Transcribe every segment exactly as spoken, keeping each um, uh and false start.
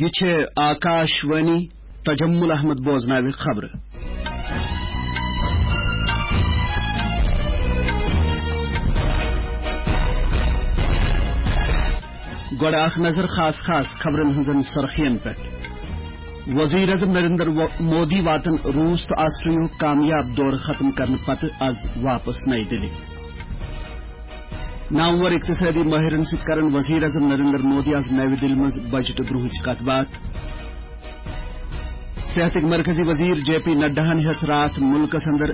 یہِ چھِ آکاش وانی۔ تجمل احمد بوزناوِ خبرٕ۔ گۄڈٕ اکھ نظر خاص خاص خبرن ہٕنٛزن سرخین پٮ۪ٹھ۔ وزیر اعظم نریندر و-، مودی واتن روٗس تہٕ آسٹریاہُک کامیاب دورٕ ختم کرنہٕ پتہٕ از واپس نئی دِلہِ۔ نامور اقتصادی مٲہرن سۭتۍ کرن وزیر اعظم نریندر مودی از نوِ دِلہِ منٛز بجٹہٕ برونٛہٕچ کتھ باتھ۔ صحتٕکۍ مرکزی وزیر جے پی نڈاہن ہیٚژ راتھ مُلکس اندر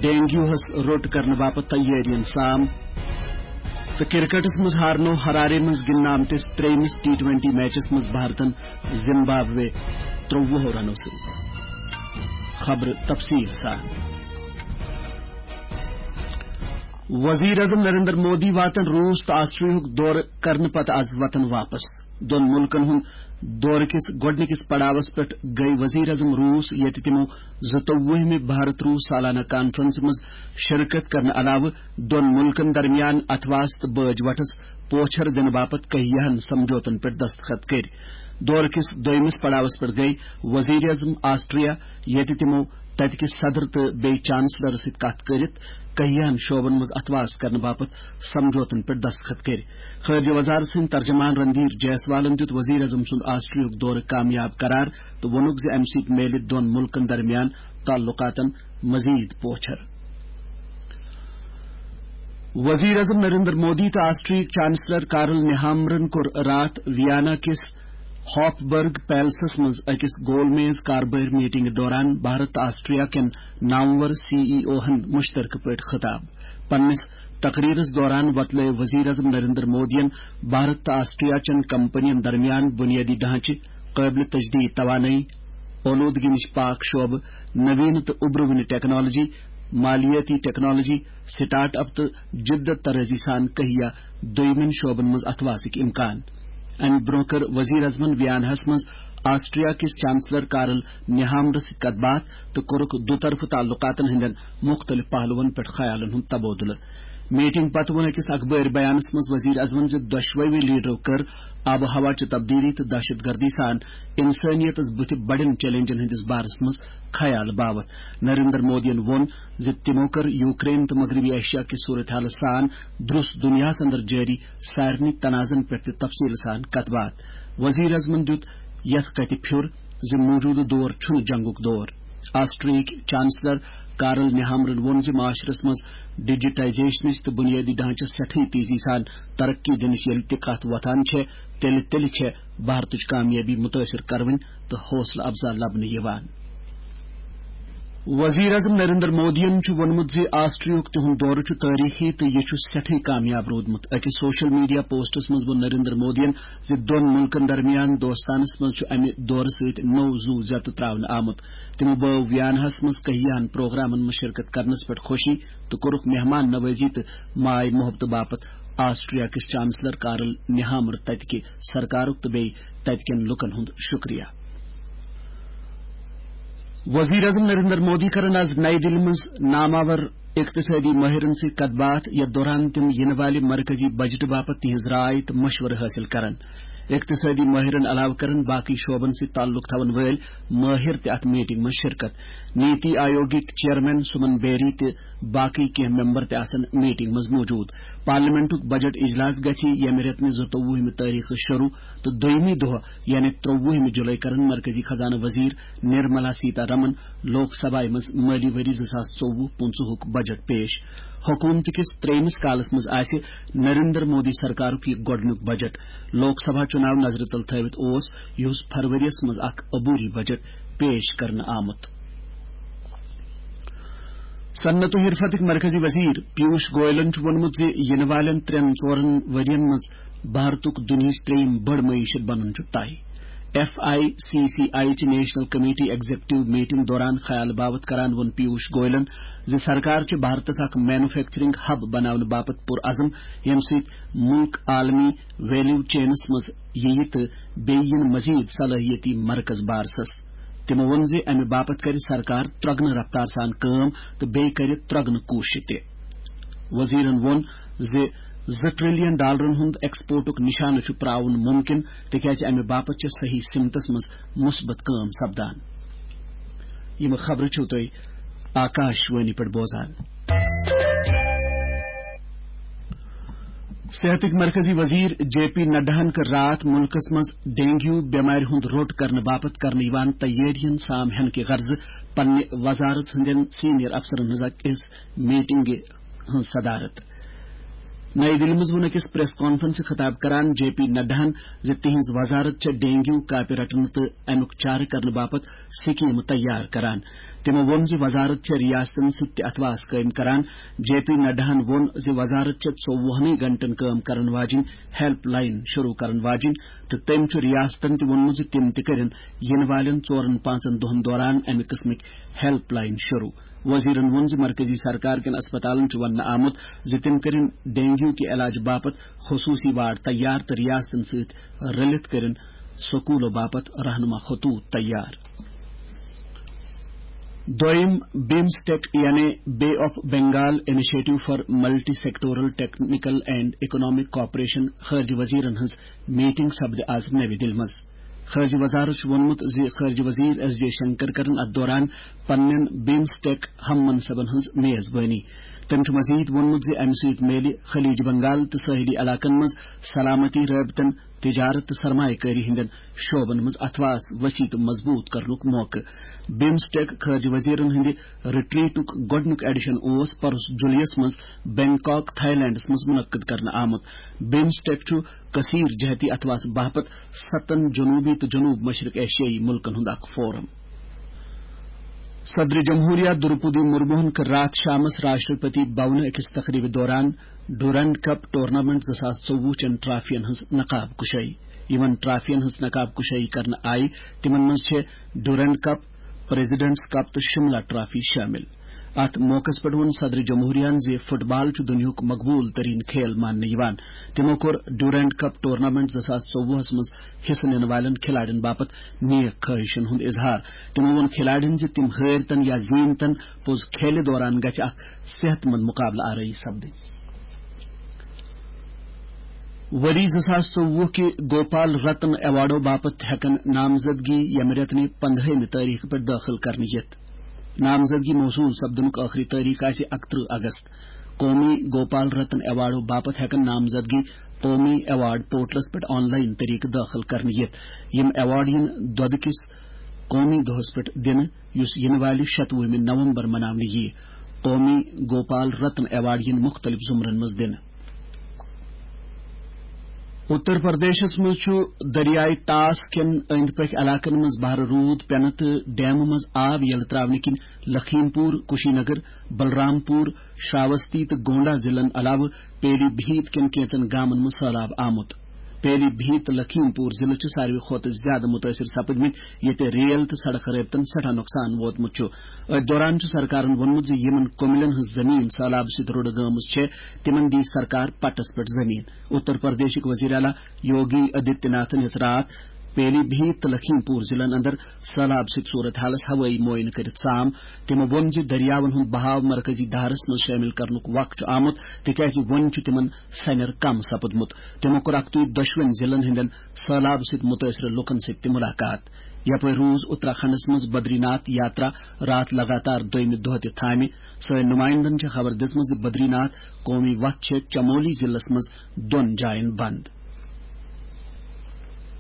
ڈینگیوہس روٚٹ کرنہٕ باپتھ تیٲرین سام۔ تہٕ کرکٹس منٛز ہارنو ہرارے منٛز گِنٛدنہٕ آمتِس ترٛیٚیمِس ٹی ٹوینٹی میچس منٛز بھارتن زمبابوے ترٛوٚوُہو رنو سۭتۍ۔ خبرٕ تفصیل سان۔ وزیر اعظم نریندر مودی واتن روٗس تہٕ آسٹریاہُک دورٕ کرنہٕ پتہٕ از وطن واپس۔ دۄن مُلکن ہُنٛد دورٕ کِس گۄڈٕنِکِس پڑاوس پٮ۪ٹھ گٔیہِ وزیر اعظم روٗس، ییٚتہِ تِمو زٕتووُہمہِ بھارت روٗس سالانہ کانفرنسہِ منٛز شرکت کرنہٕ علاوٕ دۄن مُلکن درمیان اتھواس تہٕ بٲج وٹس پوچھر دِنہٕ باپتھ کہیاہن سمجھوتن پٮ۪ٹھ دستخط کٔرۍ۔ دورٕ کِس دوٚیمِس پڑاوس پٮ۪ٹھ گٔیہِ وزیر اعظم آسٹریا، ییٚتہِ تِمو تتہِ کِس صدر تہٕ بیٚیہِ چانسلر سۭتۍ کتھ کٔرِتھ کہیاہن شعبن منٛز اتھواس کرنہٕ باپتھ سمجھوتن پٮ۪ٹھ دستخط کٔرۍ۔ خارجہ وزارت سٕنٛدۍ ترجمان رندھیر جیسوالن دیُت وزیر اعظم سُنٛد آسٹریاہُک دورٕ کامیاب قرار تہٕ ووٚنُکھ زِ امہِ سۭتۍ میلہِ دۄن مُلکن درمیان تعلقاتن مزید پوچھر۔ وزیر اعظم نریندر مودی تہٕ آسٹریاہٕکۍ چانسلر کارل نیہامرن کوٚر راتھ ویانا کِس ہاپبرگ پیلسس منٛز أکِس گول میز کاربٲرۍ میٹنگہِ دوران بھارت تہٕ آسٹریا کٮ۪ن نامور سی ای او ہن مشترکہٕ پٲٹھۍ خطاب۔ پننِس تقریرس دوران وۄتلٲو وزیر اعظم نریندر مودیَن بھارت تہٕ آسٹریا چٮ۪ن کمپنین درمیان بنیٲدی ڈھانچہٕ، قٲبلِ تجدید توانٲیی، اولودگی نِش پاک شعبہٕ، نوین تہٕ اُبرٕ وٕنہِ ٹیکنالوجی، مالیٲتی ٹیکنالوجی، سٹارٹ اپ تہٕ جدت طرازی سان کہیا دوٚیمٮ۪ن شعبن منٛز اتھواسٕکۍ امکان۔ امہِ برونٛہہ کٔر وزیر اعظمن ویاناہس منٛز آسٹریا کِس چانسلر کارل نیہامرس سۭتۍ کتھ باتھ تہٕ کوٚرُکھ دُطرفہٕ تعلقاتن ہٕنٛدٮ۪ن مُختٔلِف پہلوَن پٮ۪ٹھ خیالن ہُنٛد تبادلہٕ۔ میٹنگ پتہٕ ووٚن أکِس اخبٲرۍ بیانس منٛز وزیر اعظمن زِ دۄشوٕے لیڈرو کٔر آب و ہوا چہِ تبدیلی تہٕ دہشت گردی سان انسٲنیتس بُتھِ بڑٮ۪ن چیلنجن ہٕنٛدِس بارس منٛز خیال باوتھ۔ نریندر مودیَن ووٚن زِ تِمو کٔر یوکرین تہٕ مغربی ایشیا کِس صورتحالس سان درُس دُنیاہَس اندر جٲری سارنٕے تنازن پٮ۪ٹھ تہِ تفصیل سان کتھ باتھ۔ وزیر اعظمن دیُت یتھ کتھِ پھیُر زِ موجودٕ دور چھُنہٕ جنگُک دور۔ آسٹریاہٕکۍ چانسلر کارل نیہامرن ووٚن زِ معاشرس منٛز ڈیجیٹائزیشنٕچ تہٕ بنیٲدی ڈھانچس سٮ۪ٹھٕے تیزی سان ترقی دِنٕچ ییٚلہِ تہِ کتھ وۄتھان چھےٚ، تیٚلہِ تیٚلہِ چھےٚ بھارتٕچ کامیٲبی متٲثر کرٕنۍ تہٕ حوصلہٕ افزا لبنہٕ یِوان۔ وزیر اعظم نریندر مودیَن چھُ ووٚنمُت زِ آسٹریاہُک تِہُنٛد دورٕ چھُ تٲریخی تہٕ یہِ چھُ سٮ۪ٹھٕے کامیاب روٗدمُت۔ أکِس سوشل میڈیا پوسٹس منٛز ووٚن نریندر مودیَن زِ دۄن مُلکن درمیان دوستانس منٛز چھُ امہِ دورٕ سۭتۍ نوٚو زُو زیتہٕ تراونہٕ آمُت۔ تِمو بٲو ویاناہس منٛز کہیاہن پروگرامن منٛز شرکت کرنس پٮ۪ٹھ خوشی تہٕ کوٚرُکھ مہمان نوازی تہٕ ماے محبتہٕ باپتھ آسٹریا کِس چانسلر کارل نیہامر تتہِ کہِ سرکارُک تہٕ بیٚیہِ تتہِ کٮ۪ن لوٗکن ہُنٛد شُکریہ۔ وزیر اعظم نریندر مودی کرن از نئی دِلہِ منٛز ناماور اقتصٲدی مٲہرن سۭتۍ کتھ باتھ، یتھ دوران تِم یِنہٕ والہِ مرکزی بجٹہٕ باپتھ تِہنٛز راے تہٕ مشورٕ حٲصِل کرن۔ اقتصٲدی مٲہرن علاوٕ کرن باقٕے شعبن سۭتۍ تعلق تھاون وٲلۍ مٲہر تہِ اتھ میٹنگ منٛز شرکت۔ نیتی آیوگٕکۍ چیئرمین سمن بیری تہٕ باقٕے کینٛہہ ممبر تہِ آسن میٹنگ منٛز موجود۔ پارلیمنٹُک بجٹ اجلاس گژھِ ییٚمہِ رٮ۪تہٕ نہِ زٕتووُہمہِ تٲریخہٕ شروع تہٕ دوٚیمہِ دۄہ یعنی ترٛووُہمہِ جُلے کرن مرکزی خزانہٕ وزیر نرملا سیتا رمن لوک سبھایہ منٛز مٲلی ؤری زٕ ساس ژوٚوُہ پٕنٛژٕہُک بجٹ پیش۔ حکوٗمتہٕ کِس ترٛیٚیمِس کالس منٛز آسہِ نریندر مودی سرکارُک یہِ گۄڈٕنیُک بجٹ۔ لوک سبھا چُناو نظرِ تل تھٲوِتھ اوس یِہُس فرؤریَس منٛز اکھ عبوری بجٹ پیش کرنہٕ آمُت۔ صنعت و حرفتٕکۍ مرکزی وزیر پیوش گوئلن چھُ ووٚنمُت زِ یِنہٕ والٮ۪ن ترٛٮ۪ن ژورن ؤرین منٛز بھارتُک دُنیاہٕچ ترٛیٚیِم بٔڑ معیشت بنُن چھُ طے۔ F I C C I چہِ نیشنل کمیٹی ایگزیکٹو میٹنگ دوران خیال باوت کران ووٚن پیوش گوئلن زِ سرکار چھِ بھارتس اکھ مینوفیکچرنگ ہب بناونہٕ باپتھ پُرعزم، ییٚمہِ سۭتۍ مُلک عالمی ویلیو چینس منٛز یِیہِ تہٕ بیٚیہِ یِن مزید صلٲحیتی مرکز بارسس۔ تِمو ووٚن زِ امہِ باپتھ کرِ سرکار ترۄگنہٕ رفتار سان کٲم تہٕ بیٚیہِ کرِ ترۄگنہٕ کوٗشش تہِ۔ وزیرن ووٚن زِ زٕ ٹریلین ڈالرن ہُنٛد ایکسپورٹُک نشانہٕ چھُ پراوُن ممکن، تِکیازِ امہِ باپتھ چھِ صحیح سمتس منٛز مثبت کٲم سپدان۔ یِم خبرٕ چھِو تُہۍ آکاش وانی پٮ۪ٹھ بوزان۔ صحتٕکۍ مرکزی وزیر جے پی نڈاہن کٔر راتھ مُلکس منٛز ڈینگیو بٮ۪مارِ ہُنٛد روٚٹ کرنہٕ باپتھ کرنہٕ یِوان تیٲرین سام ہینہٕ کہِ غرضہٕ پننہِ وزارت ہٕنٛدٮ۪ن سینئر افسرن ہٕنٛز أکِس میٹنگہِ ہٕنٛز صدارت۔ نئی دِلہِ منٛز ووٚن أکِس پریس کانفرنسہِ خطاب کران جے پی نڈاہن زِ تِہنٛز وزارت چھےٚ ڈینگیو کاپہِ رٹنہٕ تہٕ امیُک چارٕ کرنہٕ باپتھ سکیٖمہٕ تیار کران۔ تِمو ووٚن زِ وزارت چھےٚ ریاستن سۭتۍ تہِ اتھواس قٲیِم کران۔ جے پی نڈاہن ووٚن زِ وزارت چھےٚ ژوٚوُہنٕے گھنٹن کٲم کرن واجِنۍ ہیلپ لاین شروع کرن واجِنۍ تہٕ تٔمۍ چھُ ریاستن تہِ ووٚنمُت زِ تِم تہِ کٔرِن یِنہٕ والٮ۪ن ژورن پانٛژن دۄہن دوران امہِ قٕسمٕکۍ ہیلپ لاین شروع۔ وزیرن ووٚن زِ مرکزی سرکار کٮ۪ن اسپتالن چھُ وننہٕ آمُت زِ تِم کٔرِن ڈینگیو کہِ علاج باپتھ خصوٗصی وارڈ تیار تہٕ ریاستن سۭتۍ رٔلِتھ کٔرِن سکوٗلو باپتھ رہنما خطوط تیار۔ دوٚیِم بِمسٹیک یعنی بے of Bengal initiative for multi sectoral technical and economic cooperation خارجہ وزیرن ہٕنٛز میٹنگ سپدِ آز نَوِ دِلہِ منٛز۔ خارجہ وزارت چھُ ووٚنمُت زِ خارجہ وزیر ایس جے شنکر کرن اتھ دوران پننٮ۪ن بِمسٹیک ہم منصبن ہٕنٛز میزبٲنی۔ تٔمۍ چھُ مزید ووٚنمُت زِ امہِ سۭتۍ میلہِ خلیج بنگال تہٕ ساحلی علاقن منٛز سلامتی رٲبطن، تجارت تہٕ سرمایہ کٲری ہٕنٛدٮ۪ن شعبن منٛز اتھواس وسیع تہٕ مضبوط کرنُک موقعہٕ۔ بِمسٹیک خارجہ وزیرن ہٕنٛدِ رٹریٹُک گۄڈٕنیُک ایڈیشن اوس پرُس جولائی یَس منٛز بینکاک، تھائی لینڈس منٛز منعقد کرنہٕ آمُت۔ بِمسٹیک چھُ کثیر جہتی اتھواس باپتھ ستن جنوبی تہٕ جنوب مشرق ایشیائی ملکن ہُنٛد اکھ فورم۔ صدر جمہوریہ درپودی مرموہن کٔر راتھ شامس راشٹرپتی بھونہٕ أکِس تقریبہِ دوران ڈیورنڈ کپ ٹورنامنٹ زٕ ساس ژوٚوُہ چٮ۪ن ٹرافین ہٕنٛز نقاب کشٲیی۔ یِمن ٹرافین ہٕنٛز نقاب کشٲیی کرنہٕ آیہِ، تِمن منٛز چھِ ڈیورنڈ کپ، پریزیڈنٹس کپ تہٕ شملہ ٹرافی شٲمِل۔ اتھ موقعس پٮ۪ٹھ ووٚن صدر جمہوریہن زِ فٹ بال چھُ دُنیاہُک مقبوٗل تریٖن کھیل ماننہٕ یِوان۔ تِمو کوٚر ڈیورنڈ کپ ٹورنامنٹ زٕ ساس ژوٚوُہس منٛز حصہٕ نِنہٕ والٮ۪ن کھلاڑٮ۪ن باپتھ نیک خواہشن ہُنٛد اظہار۔ تِمو ووٚن کھلاڑٮ۪ن زِ تِم ہٲرۍ تن یا زیٖنۍ تن، پوٚز کھیلہِ دوران گژھِ اکھ صحت مند مقابلہٕ آرٲیی سپدٕنۍ۔ ؤری زٕ ساس ژوٚوُہ کہِ گوپال رتن ایوارڈو باپتھ ہٮ۪کن نامزدگی ییٚمہِ رٮ۪تہٕ نہِ پندہٲیمہِ تٲریخہٕ پٮ۪ٹھ دٲخل کرنہٕ یِتھ۔ نامزدگی موصول سپدنُک ٲخری تٲریخ آسہِ اکترٕہ اگست۔ قومی گوپال رتن ایوارڈو باپتھ ہٮ۪کن نامزدگی قومی ایوارڈ پورٹلس پٮ۪ٹھ آن لائن طریقہٕ دٲخل کرنہٕ یِتھ۔ یِم ایوارڈ یِن دۄدٕ کِس قومی دۄہس پٮ۪ٹھ دِنہٕ، یُس یِنہٕ والہِ شتوُہمہِ نومبر مناونہٕ یِیہِ۔ قومی گوپال رتن ایوارڈ یِن مُختٔلِف زمرن منٛز دِنہٕ۔ اتر پردیشس منٛز چھُ دریاے طاس کٮ۪ن أنٛدۍ پٔکھۍ علاقن منٛز بھرٕ روٗد پٮ۪نہٕ تہٕ ڈیمہٕ منٛز آب یلہٕ تراونہٕ کِنۍ لکھیم پور، کشی نگر، بلرام پور، شراوستی تہٕ گونڈا ضلعن علاوٕ پیلی بھیت کٮ۪ن کینٛژن گامن منٛز سٔہلاب آمُت۔ پیلی بھیت تہٕ لکھیم پور ضلعہٕ چھِ ساروی کھۄتہٕ زیادٕ مُتٲثِر سپٕدمٕتۍ، ییٚتہِ ریل تہٕ سڑک رٲبطن سٮ۪ٹھاہ نۄقصان ووتمُت چھُ۔ أتھۍ دوران چھُ سرکارن ووٚنمُت زِ یِمن کوملین ہٕنٛز زٔمیٖن سٔہلابہٕ سۭتۍ رُڑٕ گٲمٕژ چھےٚ، تِمن دِیہِ سرکار پٹس پٮ۪ٹھ زٔمیٖن۔ اتر پردیشٕکۍ وزیر اعلیٰ یوگی آدتیہ ناتھن ہیٚژ راتھ پیلی بھیت تہٕ لکھیم پور ضلعن اندر سٔہلاب سۭتۍ صورت حالس ہوٲیی معائنہٕ کٔرِتھ سام۔ تِمو ووٚن زِ دٔریاون ہُنٛد بہاو مرکزی دھارس منٛز شٲمِل کرنُک وق چھُ آمُت، تِکیازِ وۄنۍ چھُ تِمن سنیر کم سپُدمُت۔ تِمو کوٚر اکتُے دۄشوٕنۍ ضلعن ہٕنٛدٮ۪ن سٔہلاب سۭتۍ مُتٲثرٕ لُکن سۭتۍ تہِ مُلاقات۔ یپٲرۍ روٗز اتراکھنڈس منٛز بدری ناتھ یاترا راتھ لگاتار دوٚیمہِ دۄہ تہِ تھامہِ۔ سٲنۍ نُمایندن چھےٚ خبر دِژمٕژ زِ بدری ناتھ قومی وتھ چھےٚ چمولی ضلعس منٛز دۄن جاین بند۔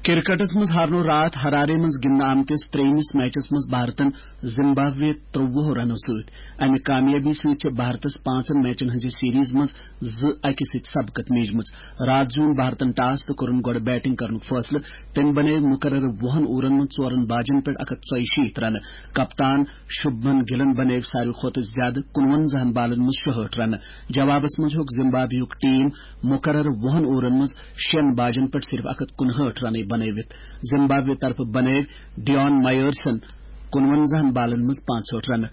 کرکٹس منٛز ہارنوو راتھ ہرارے منٛز گِنٛدنہٕ آمتِس ترٛیٚیمِس میچس منٛز بھارتن زمبابوے ترٛوٚوُہ رنو سۭتۍ۔ امہِ کامیٲبی سۭتۍ چھےٚ بھارتس پانٛژن میچن ہٕنٛزِ سیریز منٛز زٕ اَکہِ سۭتۍ سبقت میجمٕژ۔ راتھ زیوٗن بھارتن ٹاس تہٕ کوٚرُن گۄڈٕ بیٹنگ کرنُک فٲصلہٕ۔ تٔمۍ بنٲوۍ مقررٕ وُہن اوورن منٛز ژورن باجن پٮ۪ٹھ اکھ ہتھ ژۄیہِ شیٖتھ رنہٕ۔ کپتان شُبمن گِلن بنٲوۍ ساروی کھۄتہٕ زیادٕ کُنوَنزاہن بالن منٛز شُہٲٹھ رنہٕ۔ جوابس منٛز ہیوٚک زمبابویُک ٹیم مقررٕ وُہن اوورن منٛز شٮ۪ن باجن پٮ۪ٹھ صرف اکھ ہتھ کُنہٲٹھ رنٕے بنٲوِتھ۔ زمبابوے طرفہٕ بنٲوۍ ڈیون مایرسن کُنوَنزاہن بالن منٛز پانٛژہٲٹھ رنہٕ۔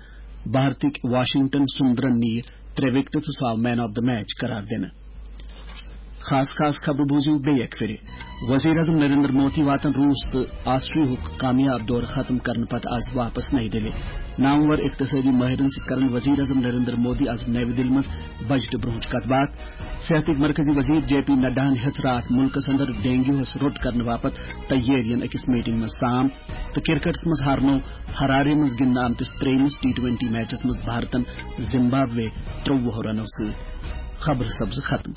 بھارتٕکۍ واشنگٹن سُندرن نِیہِ ترٛےٚ وکٹہٕ تہٕ سُہ آو مین آف دی میچ قرار دِنہٕ۔ خاص خاص خبرٕ بوٗزِو بیٚیہِ اَکہِ پھِرِ۔ وزیر اعظم نریندر مودی واتن روٗس تہٕ آسٹریاہُک کامیاب دورٕ ختم کرنہٕ پتہٕ آز واپس نئی دِلہِ۔ نامور اقتصٲدی مٲہرن سۭتۍ کرن وزیر اعظم نریندر مودی آز نئی دِلہِ منٛز بجٹہٕ برونٛہہ کتھ باتھ۔ صحتٕکۍ مرکزی وزیر جے پی نڈاہن ہیٚژ راتھ مُلکس اندر ڈینگیوہس روٚٹ کرنہٕ باپتھ تیٲرین أکِس میٹنگ منٛز سام۔ تہٕ کرکٹس منٛز ہارنوو ہرارے منٛز گِنٛدنہٕ آمتِس ترٛیٚیمِس ٹی ٹوینٹی میچس منٛز بھارتن زمبابوے ترٛوٚوُہ رنو سۭتۍ۔ خبرٕ سپزٕ ختم۔